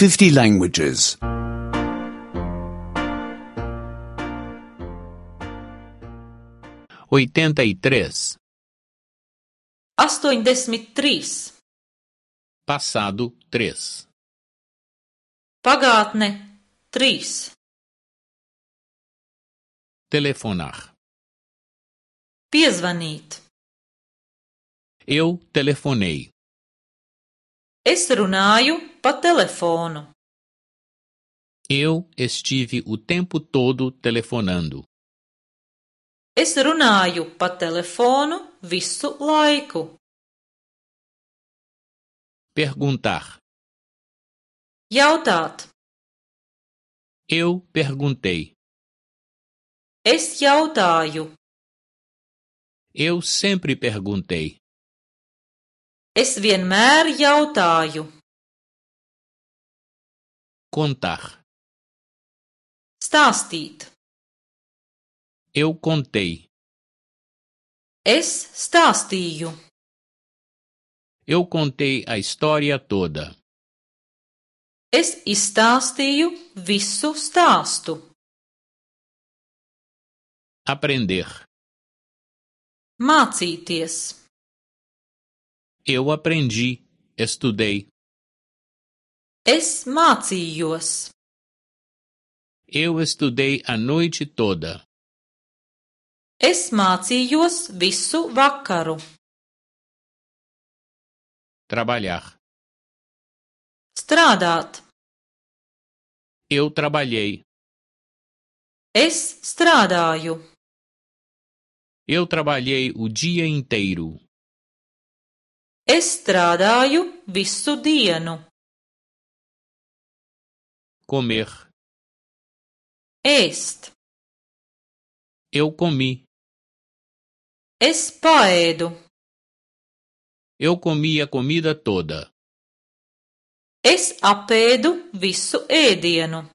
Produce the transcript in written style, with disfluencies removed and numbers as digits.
50 languages. 83. 83. Passado 3. Pagātne 3. Telefonar. Piezvanīt. Eu telefonei. Es runāju pa telefonu. Eu estive o tempo todo telefonando. Es runāju pa telefonu visu laiku. Perguntar. Jautāt. Eu perguntei. Es jautāju. Eu sempre perguntei. Es vienmēr jautāju. Contar. Stāstīt. Eu contei. Es stāstīju. Eu contei a história toda. Es izstāstīju visu stāstu. Aprender. Mācīties. Eu aprendi, estudei. Es mācījos. Eu estudei a noite toda. Es mācījos visu vakaru. Trabalhar. Strādāt. Eu trabalhei. Es strādāju. Eu trabalhei o dia inteiro. Es strādāju visu dienu. Comer. Ēst. Eu comi. Es paēdu. Eu comi a comida toda. Es apēdu visu ēdienu.